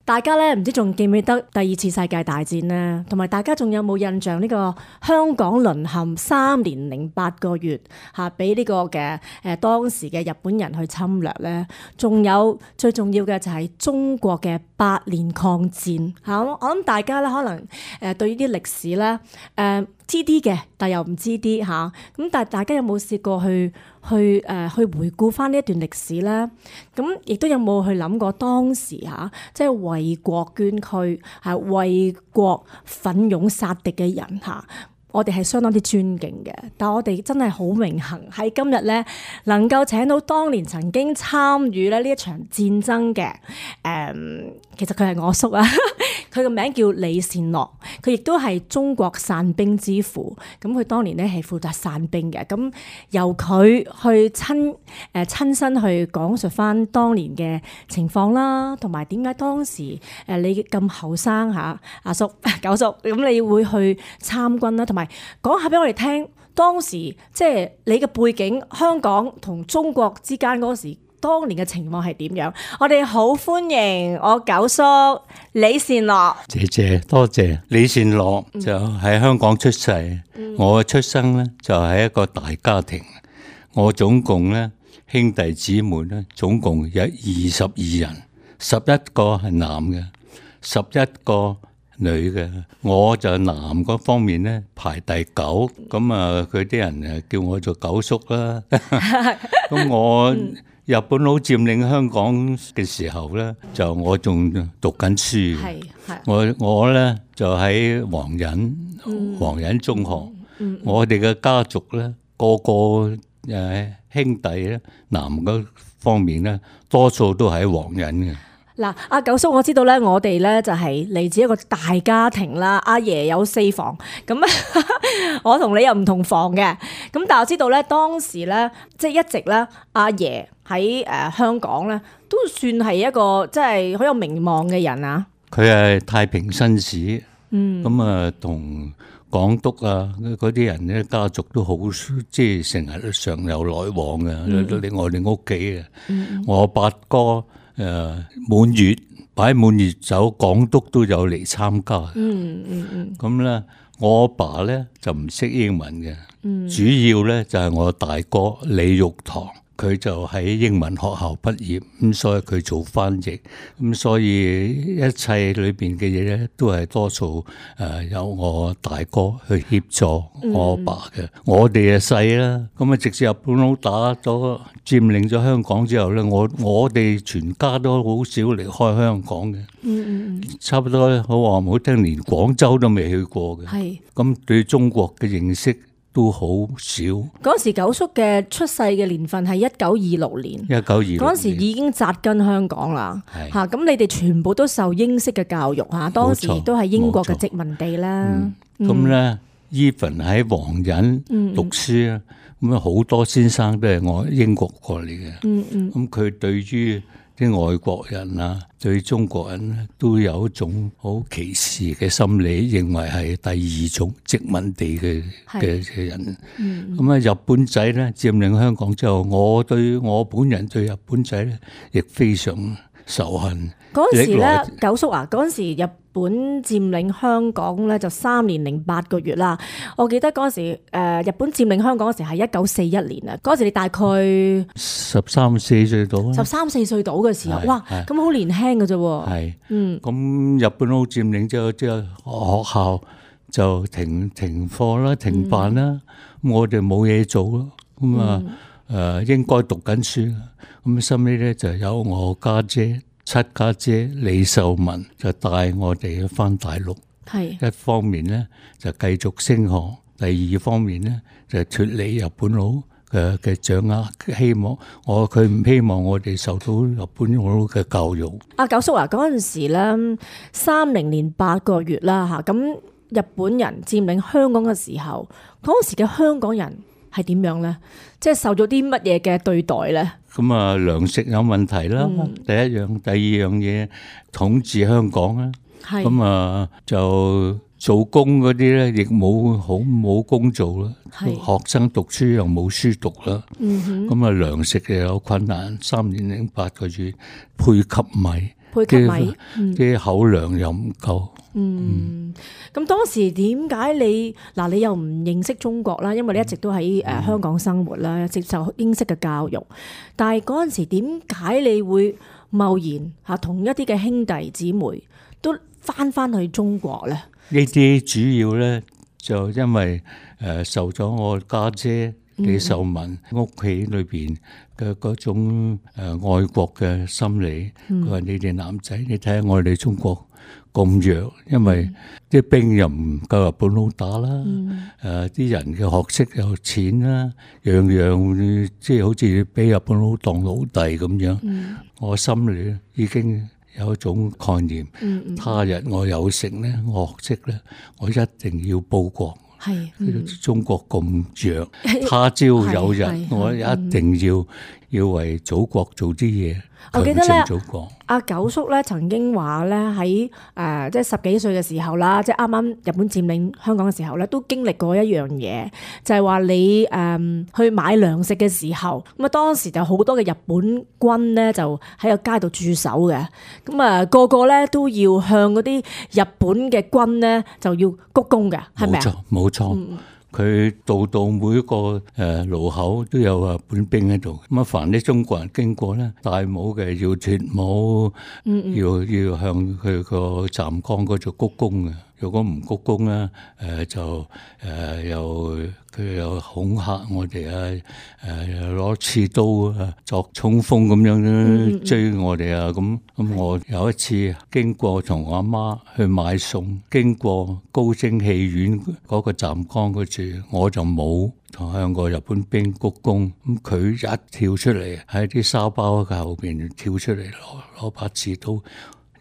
大家咧唔知仲記唔記得第二次世界大戰咧，同埋大家仲有冇印象呢個香港淪陷3年08個月嚇，俾呢個嘅當時嘅日本人去侵略咧，仲有最重要嘅就係中國嘅8年抗戰嚇。我諗大家咧可能對呢啲歷史咧知啲嘅，但又唔知啲嚇。咁但係大家有冇試過去回顧翻呢一段歷史咧？咁亦都有冇去諗過當時嚇，即係為國捐軀，係為國奮勇殺敵嘅人嚇。我哋係相當之尊敬嘅，但我哋真係好榮幸喺今日咧，能夠請到當年曾經參與咧呢一場戰爭嘅其實佢係我叔啊，佢個名叫李善樂，佢亦都係中國散兵之父。咁佢當年咧係負責散兵嘅，咁由佢去親身去講述翻當年嘅情況啦，同埋點解當時你咁後生嚇阿叔九叔，咁你會去參軍啦，同埋講下俾我哋聽，當時即係你嘅背景，香港同中國之間嗰時當年嘅情況係點樣？我哋好歡迎我九叔李善樂。謝謝，多謝。李善樂就喺香港出世，我嘅出生咧就係一個大家庭，我總共咧兄弟姊妹咧總共有22人，11個係男嘅，11個女嘅，我就男嗰方面咧排第9，咁啊佢啲人叫我做九叔啦。咁我日本佬佔領香港嘅時候咧，就我仲讀緊書嘅，我咧就喺皇仁中學，我哋嘅家族咧個個兄弟咧男嗰方面咧多數都喺皇仁嘅。嗱，阿九叔，我知道咧，我哋咧就係嚟自一個大家庭啦。阿爺有4房，咁我同你又唔同房嘅。咁但係我知道咧，當時咧即係一直咧，阿爺喺香港咧都算係一個即係好有名望嘅人啊。佢係太平紳士，咁啊同港督啊嗰啲人咧家族都好，即係成日都常有來往嘅。嚟我哋屋企嘅，我八哥。滿月擺滿月酒，港督都有嚟參加。咁咧，我阿爸咧就唔識英文嘅，主要咧就係我大哥李玉堂，佢就喺英文學校畢業，咁所以佢做翻譯，咁所以一切裏邊嘅嘢咧都係多數有我大哥去協助我阿爸嘅。我哋啊細啦，咁啊直至日本佬打咗佔領咗香港之後咧，我哋全家都好少離開香港嘅，差不多好話唔好聽，連廣州都未去過嘅。咁對中國嘅認識都好少。嗰時九叔嘅出世嘅年份係1926年，1926年嗰時已經紮根香港啦。嚇，咁你哋全部都受英式嘅教育嚇，當時都係英國嘅殖民地啦。咁咧，even 喺皇仁讀書啊，咁啊好多先生都係我英國過嚟嘅。咁佢對於啲外國人啊，對中國人咧都有一種好歧視嘅心理，認為係第2種殖民地嘅人。咁啊，日本仔咧佔領香港之後，我本人對日本仔咧亦非常仇恨。嗰陣時咧，九叔啊，嗰陣時日本佔領香港咧就3年08個月啦。我記得嗰陣時日本佔領香港嗰時係1941年啊。嗰陣時你大概13、14歲到啦，13、14歲到嘅時候，哇，咁好年輕嘅啫喎。係，咁日本佬佔領之後，學校就停課啦，停辦啦。咁我哋冇嘢做咯。咁啊應該讀緊書。咁收尾咧就有我家姐。7家姐李秀文就帶我哋返大陸，一方面咧就繼續升學，第二方面咧就脫離日本佬嘅掌握，希望佢唔希望我哋受到日本佬嘅教育。阿九叔啊，嗰陣時咧30年8個月啦嚇，咁日本人佔領香港嘅時候，嗰時嘅香港人係點樣咧？即係受咗啲乜嘢嘅對待咧？咁啊，糧食有問題啦，第一樣，第二樣嘢統治香港啦，咁啊就做工嗰啲咧，亦冇工做啦，學生讀書又冇書讀啦，咁啊糧食又有困難，3年08個月配給米，配給米，啲口糧又唔夠。咁當時點解你又唔認識中國啦？因為你一直都喺香港生活啦，接受英式嘅教育。但係嗰陣時點解你會貿然同一啲嘅兄弟姊妹都翻去中國咧？呢啲主要咧就因為受咗我家姐李秀文屋企裏邊嘅嗰種愛國嘅心理。佢話你哋男仔，你睇下我哋中國咁弱，因為啲兵又唔夠日本佬打啦，啲人嘅學識又淺啦，樣樣即係好似俾日本佬當奴隸咁樣。我心裏已經有一種概念，他日我有成咧，我學識咧，我一定要報國。係，中國咁弱，他朝有日我一定要為祖國做啲嘢。我記得咧，阿九叔咧曾經話咧喺即係10幾歲嘅時候啦，即係啱啱日本佔領香港嘅時候咧，都經歷過一樣嘢，就係話你去買糧食嘅時候，咁啊當時就好多嘅日本軍咧就喺個街度駐守嘅，咁啊個個咧都要向嗰啲日本嘅軍咧就要鞠躬嘅，係咪啊？冇錯。佢到每一個路口都有日本兵喺度，咁啊凡啲中國人經過咧，戴帽嘅要脫帽，要向佢個站崗嗰度鞠躬嘅。如果唔鞠躬咧，就佢又恐嚇我哋啊，攞刺刀啊作衝鋒咁樣追我哋啊，咁我有一次經過同我阿媽去買餸，經過高升戲院嗰個站崗嗰處，我就冇同向個日本兵鞠躬，咁佢一跳出嚟喺啲沙包嘅後邊跳出嚟攞把刺刀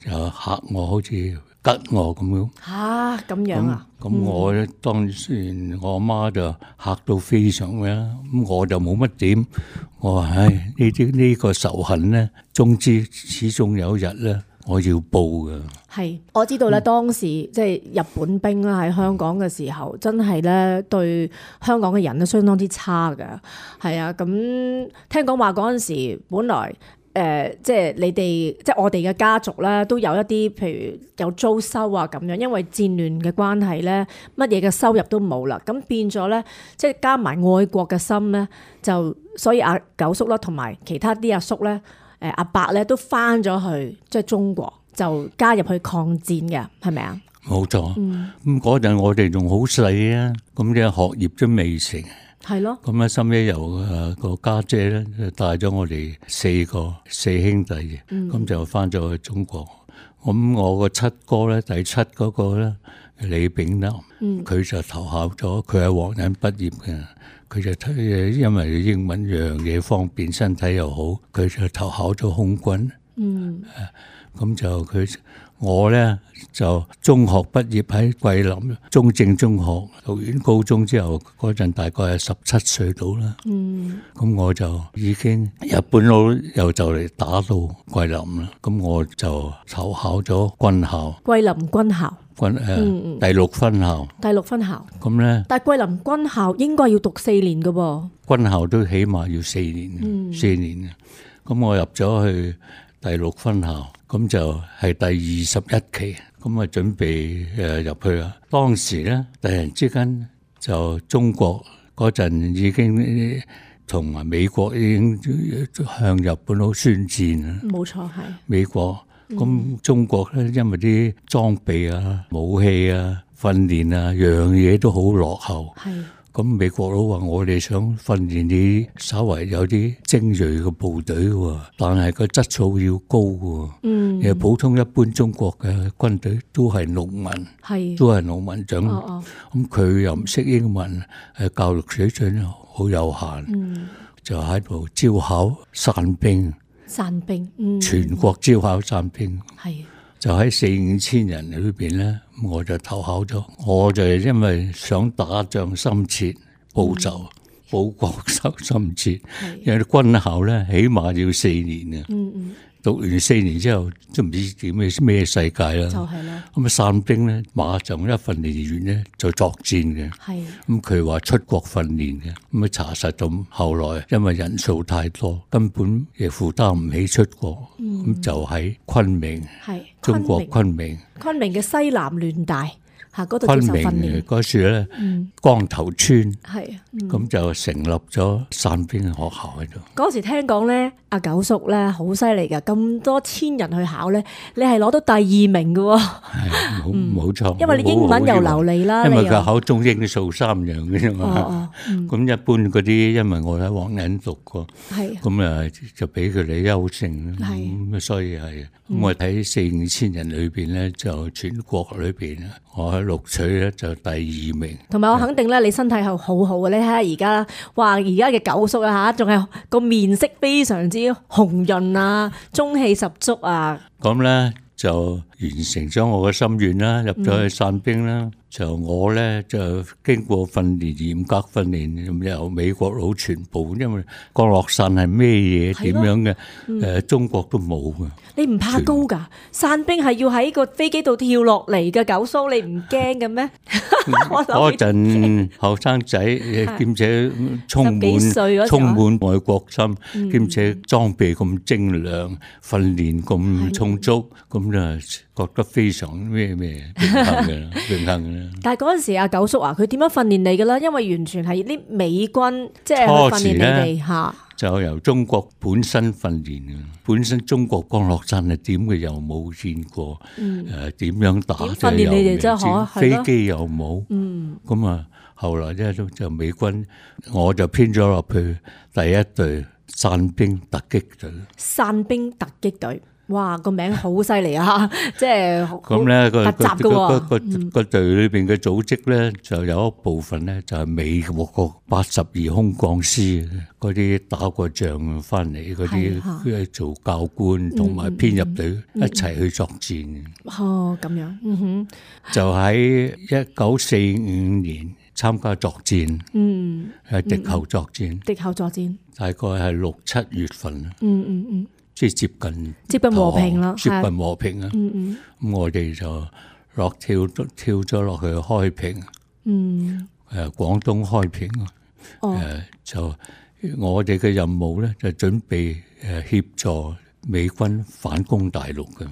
就嚇我，好似吉我咁樣。咁樣啊？咁我咧當時我阿媽就嚇到非常嘅，咁我就冇乜點。我話呢個仇恨咧，終之始終有一日咧，我要報㗎。係，我知道咧，當時即係日本兵啦喺香港嘅時候，真係咧對香港嘅人咧相當之差㗎。係啊，咁聽講話嗰陣時本來。即係你哋，即係我哋嘅家族咧，都有一啲，譬如有租收啊咁樣，因為戰亂嘅關係咧，乜嘢嘅收入都冇啦，咁變咗咧，即係加埋愛國嘅心咧，就所以阿九叔啦，同埋其他啲阿叔咧，阿伯咧都翻咗去即係中國，就加入去抗戰嘅，係咪啊？冇錯，咁嗰陣我哋仲好細啊，咁嘅學業都未成。係咯，咁咧，深夜由個家姐咧帶咗我哋四兄弟嘅，咁就翻咗去中國。咁我個七哥咧，第七嗰個咧李炳南，佢就投考咗，佢係皇仁畢業嘅，佢就因為英文樣嘢方便，身體又好，佢就投考咗空軍。咁就我咧就中學畢業喺桂林中正中學，讀完高中之後嗰陣大概係17歲到啦。咁我就已經日本佬又就嚟打到桂林啦，咁我就投考咗軍校。桂林軍校。第6分校。第6分校。咁咧？但係桂林軍校應該要讀4年㗎噃。軍校都起碼要4年，4年。咁我入咗去第6分校。咁就係第21期，咁啊準備入去啦。當時咧，突然之間就中國嗰陣已經同埋美國已經向日本佬宣戰啦。冇錯，係美國。咁中國咧，因為啲裝備啊、武器啊、訓練啊，樣嘢都好落後。係。咁美國佬話我哋想訓練你稍為有啲精鋭嘅部隊喎，但係個質素要高喎。其實普通一般中國嘅軍隊都係農民，都係農民長。咁佢又唔識英文，教育水準好有限，就喺度招考散兵。散兵，全國招考散兵。係。就喺4-5千人裏邊咧，我就投考咗。我就係因為想打仗心切，報仇、報國心切。因為軍校咧起碼要4年啊。讀完4年之後都唔知點咩世界啦。就係啦。咁散兵咧，馬上一訓練完咧就作戰嘅。係。咁佢話出國訓練嘅，咁啊查實咁，後來因為人數太多，根本亦負擔唔起出國，咁就喺昆明，中國昆明嘅西南聯大。嗰度昆明嗰時咧，光頭村咁就成立咗散兵學校喺度。嗰時聽講咧，阿九叔咧好犀利㗎，咁多千人去考咧，你係攞到第2名㗎喎。係冇錯，因為你英文又流利啦，因為佢考中英數3樣嘅啫嘛。咁一般嗰啲，因為我喺黃仁讀過，咁啊就俾佢哋優勝啦。咁所以係，咁我睇4-5千人裏邊咧，就全國裏邊我喺錄取咧就第2名。同埋我肯定咧，你身體係好好嘅。你睇下而家，哇！而家嘅九叔啊嚇，仲係個面色非常之紅潤啊，中氣十足啊。咁咧就完成咗我嘅心願啦，入咗去散兵啦。就我咧就經過訓練，嚴格訓練，由美國佬全部，因為降落傘係咩嘢點樣嘅，中國都冇嘅。你唔怕高㗎？散兵係要喺個飛機度跳落嚟嘅，九叔你唔驚嘅咩？嗰陣後生仔，兼且充滿愛國心，兼且裝備咁精良，訓練咁充足，咁就覺得非常咩榮幸嘅。但係嗰陣時阿九叔啊，佢點樣訓練你㗎啦？因為完全係啲美軍即係訓練你哋嚇。就由中國本身訓練嘅，本身中國降落傘係點嘅又冇見過，點樣打訓練你哋真係飛機又冇，咁啊後來咧就美軍，我就編咗落去第一隊散兵突擊隊。散兵突擊隊。哇，個名好犀利啊！即係咁咧，個隊裏邊嘅組織咧，就有一部分咧就係美國82空降師嗰啲打過仗翻嚟嗰啲做教官同埋編入隊一齊去作戰。哦，咁樣，就喺1945年參加作戰，喺敵後作戰，大概係6-7月份。即係接近和平啦，接近和平啊！咁我哋就跳咗落去開平，廣東開平。就我哋嘅任務咧，就準備協助美軍反攻大陸嘅。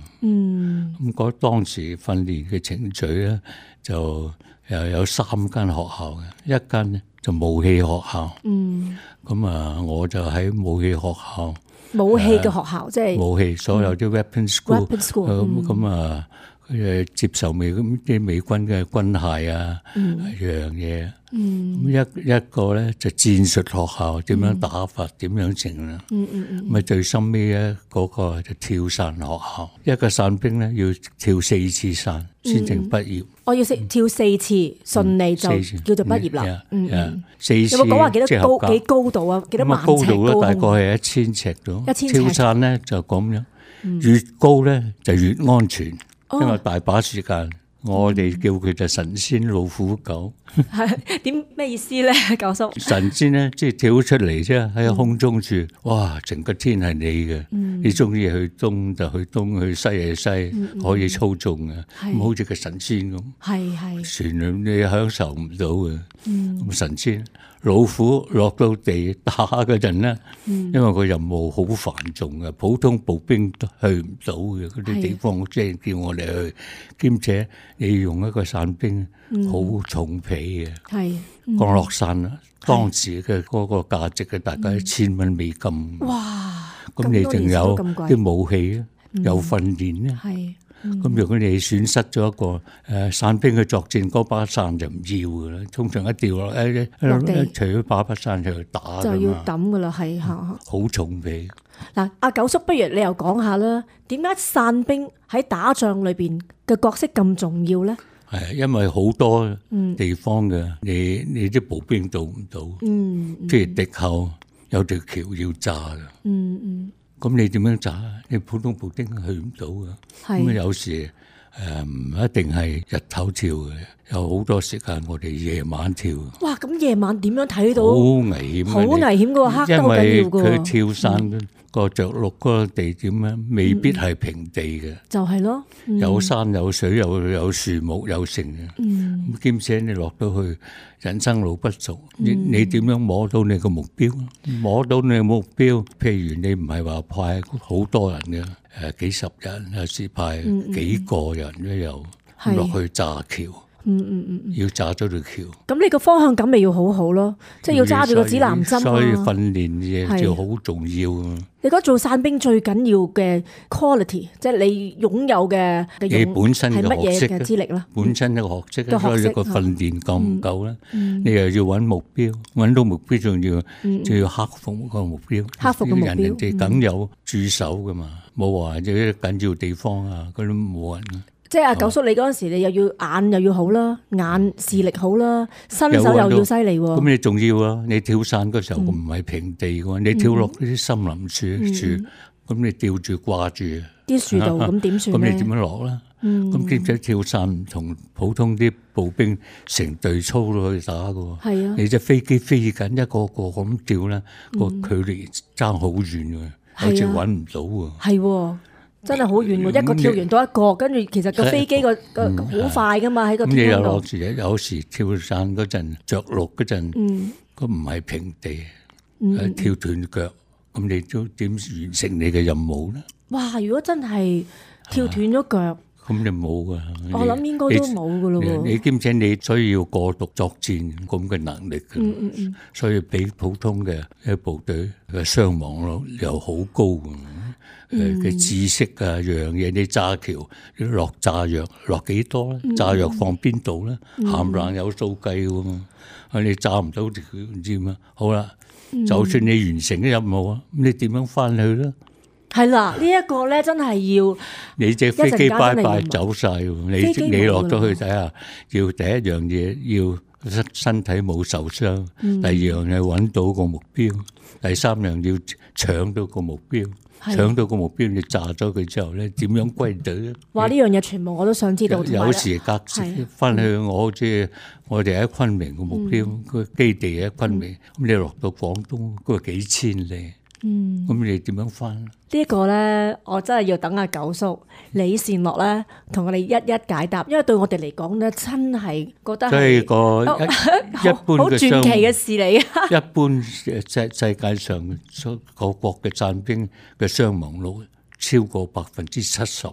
咁當時訓練嘅程序咧，就又有3間學校嘅，一間咧就武器學校。咁啊，我就喺武器學校。武器嘅學校，即係武器，所有啲 weapon school，咁啊，接受啲美軍嘅軍械啊，樣嘢。一個咧就戰術學校，點樣打法，點樣整啦。咁啊，最深尾咧嗰個就跳傘學校，一個散兵咧要跳4次傘先正畢業。我要跳4次，順利就叫做畢業啦。4次有冇講話幾高度啊？幾多萬尺高？高度咧大概係1000尺度。跳傘咧就咁樣，越高咧就越安全，因為大把時間。我哋叫佢就神仙老虎狗。係點咩意思咧，九叔？神仙咧，即係跳出嚟啫，喺空中住，哇！成個天係你嘅，你中意去東就去東，去西就西，可以操縱嘅，咁好似個神仙咁。係全你享受唔到嘅。咁神仙老虎落到地打嗰陣咧，因為個任務好繁重嘅，普通步兵都去唔到嘅嗰啲地方，即係叫我哋去，兼且你用一個散兵好重皮嘅，降落傘啦，當時嘅嗰個價值嘅大概$1000美金。哇！咁你仲有啲武器啊，有訓練咧。咁如果你損失咗一個散兵去作戰，嗰把傘就唔要噶啦，通常一掉落除咗把傘就去打就要抌噶啦，係好重皮。嗱，阿九叔，不如你又講下啦，點解散兵喺打仗裏邊嘅角色咁重要咧？係因為好多地方嘅，你啲步兵到唔到？即係敵後有條橋要炸嘅。咁你點樣炸？你普通步兵去唔到嘅。咁有時唔一定係日頭跳嘅，有好多時間我哋夜晚跳。哇！咁夜晚點樣睇到？好危險，好危險噶，黑得好緊要噶。因為佢跳傘個着陸嗰個地點咧，未必係平地嘅。就係咯，有山有水有樹木有城嘅。咁兼且你落到去人生路不熟，你點樣摸到你個目標？摸到你個目標，譬如你唔係話派好多人嘅，幾十人，有時派幾個人都有落去炸橋。要炸咗條橋。咁你個方向感咪要好好咯，即係要揸住個指南針啊。所以訓練嘢就好重要啊。你覺得做傘兵最緊要嘅 quality， 即係你擁有嘅你本身嘅學識嘅資歷啦。本身嘅學識，所以個訓練夠唔夠咧？你又要揾目標，揾到目標仲要克服個目標。克服個目標，人哋梗有駐守噶嘛，冇話啲緊要地方啊，嗰啲冇人。即係阿九叔，你嗰陣時你又要眼又要好啦，眼視力好啦，身手又要犀利喎。咁你仲要啊？你跳傘嗰時候唔係平地嘅，你跳落啲森林樹，咁你吊住掛住啲樹度，咁點算咧？咁你點樣落啦？咁兼且跳傘唔同普通啲步兵成隊操都可以打嘅。係啊，你隻飛機飛緊一個個咁跳咧，個距離爭好遠嘅，好似揾唔到喎。係。真係好遠喎！一個跳完到一個，跟住其實個飛機個好快噶嘛，喺個天空度。有時跳傘嗰陣着陸嗰陣，咁唔係平地，跳斷腳，咁你都點完成你嘅任務咧？哇！如果真係跳斷咗腳，咁你冇噶。我諗應該都冇噶咯喎。你兼且你需要過獨作戰咁嘅能力嘅，所以比普通嘅部隊嘅傷亡率又好高。嘅知識啊，樣嘢你炸橋落炸藥落幾多咧？炸藥放邊度咧？冚唪唥有數計嘅嘛。你炸唔到佢唔知咩。好啦，就算你完成咗任務啊，咁你點樣翻去咧？係啦，呢一個咧真係要你隻飛機拜拜走晒喎。你落咗去睇下，要第一樣嘢要身體冇受傷，第二樣係揾到個目標，第三樣要搶到個目標。搶到個目標，你炸咗佢之後咧，點樣歸隊咧？哇！呢樣嘢全部我都想知道。有時隔翻去我哋喺昆明個目標個基地喺昆明，咁你落到廣東嗰個幾千里，咁你點樣翻？呢一個咧，我真係要等阿九叔李善樂咧，同我哋一一解答，因為對我哋嚟講咧，真係覺得係個一般好傳奇嘅事嚟啊！一般世界上各國嘅傘兵嘅傷亡率超過70%。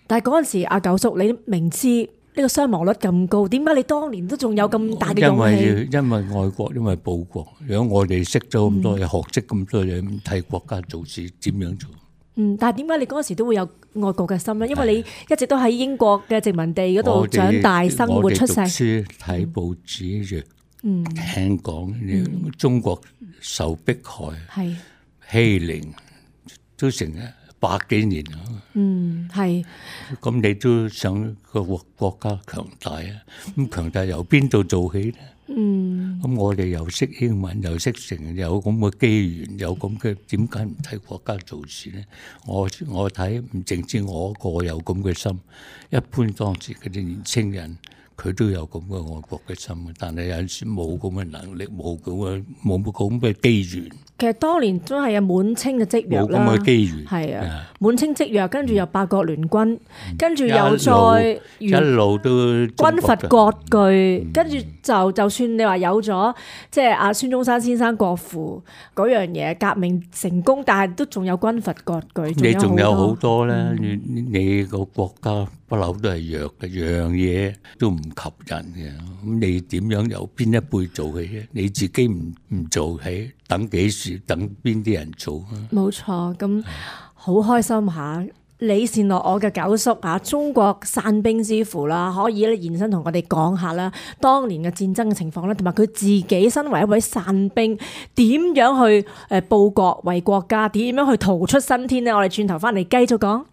但係嗰陣時，阿九叔你明知呢個傷亡率咁高，點解你當年都仲有咁大嘅勇氣？因為愛國，因為報國。如果我哋識咗咁多嘢，學識咁多嘢，唔替國家做事，點樣做？但係點解你嗰陣時都會有愛國嘅心咧？因為你一直都喺英國嘅殖民地嗰度長大、生活、出世。我哋讀書睇報紙，聽講中國受迫害、欺凌，都成100幾年啦。係。咁你都想個國家強大啊？咁強大由邊度做起咧？咁我哋又識英文，又識成，有咁嘅機緣，有咁嘅，點解唔替國家做事咧？我睇唔淨止我一個有咁嘅心，一般當時嗰啲年青人，佢都有咁嘅愛國嘅心，但係有陣時冇咁嘅能力，冇咁嘅機緣。其實當年都係有滿清嘅積弱啦，冇咁嘅機緣，係啊，滿清積弱，跟住又八國聯軍，跟住又再一路都軍閥割據，跟住就算你話有咗即係阿孫中山先生國父嗰樣嘢革命成功，但係都仲有軍閥割據，你仲有好多咧，你個國家不嬲都係弱嘅，樣嘢都唔及人嘅，咁你點樣由邊一輩做起啫？你自己唔做起，等幾時？等邊啲人做啊？冇錯，咁好開心吓！李善樂我嘅九叔吓，中國傘兵之父啦，可以咧現身同我哋講下啦，當年嘅戰爭嘅情況咧，同埋佢自己身為一位傘兵，點樣去報國為國家，點樣去逃出生天呢？我哋轉頭翻嚟繼續講。